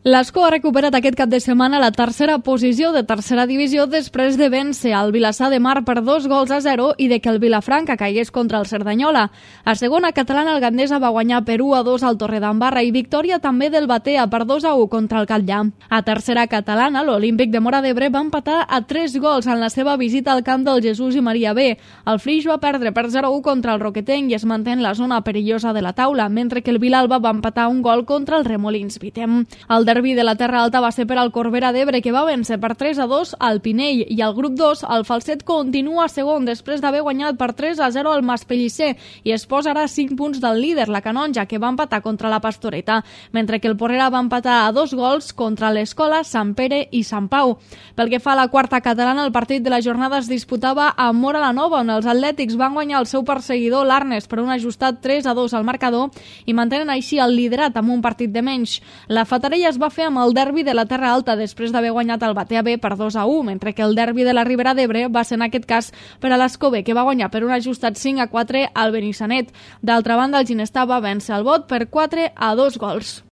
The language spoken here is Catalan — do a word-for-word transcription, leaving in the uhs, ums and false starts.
L'Escó ha recuperat aquest cap de setmana la tercera posició de tercera divisió després de vèncer el Vilassar de Mar per dos gols a zero i de que el Vilafranca caigués contra el Cerdanyola. A segona catalana, el Gandesa va guanyar per u a dos al Torredembarra i victòria també del Batea per dos a u contra el Catllà. A tercera catalana, l'Olímpic de Móra d'Ebre va empatar a tres gols en la seva visita al camp del Jesús i Maria B. El Flix va perdre per zero a u contra el Roquetenc i es manté en la zona perillosa de la taula, mentre que el Vilalba va empatar un gol contra el Remolins Vitem. El derbi de la Terra Alta va ser per al Corbera d'Ebre, que va vèncer per tres a dos al Pinell, i al grup dos el Falset continua segon després d'haver guanyat per tres a zero al Maspellisser i es posarà cinc punts del líder, la Canonja, que va empatar contra la Pastoreta, mentre que el Porrera va empatar a dos gols contra l'Escola, Sant Pere i Sant Pau. Pel que fa a la quarta catalana, el partit de la jornada es disputava a Móra la Nova, on els atlètics van guanyar el seu perseguidor, l'Arnes, per un ajustat tres a dos al marcador i mantenen així el liderat amb un partit de menys. La Fatarella es va fer amb el derbi de la Terra Alta després d'haver guanyat el Batea B per dos a u, mentre que el derbi de la Ribera d'Ebre va ser en aquest cas per a l'Escó B, que va guanyar per un ajustat cinc a quatre al Benissanet. D'altra banda, el Ginestar va vèncer el Bot per quatre a dos gols.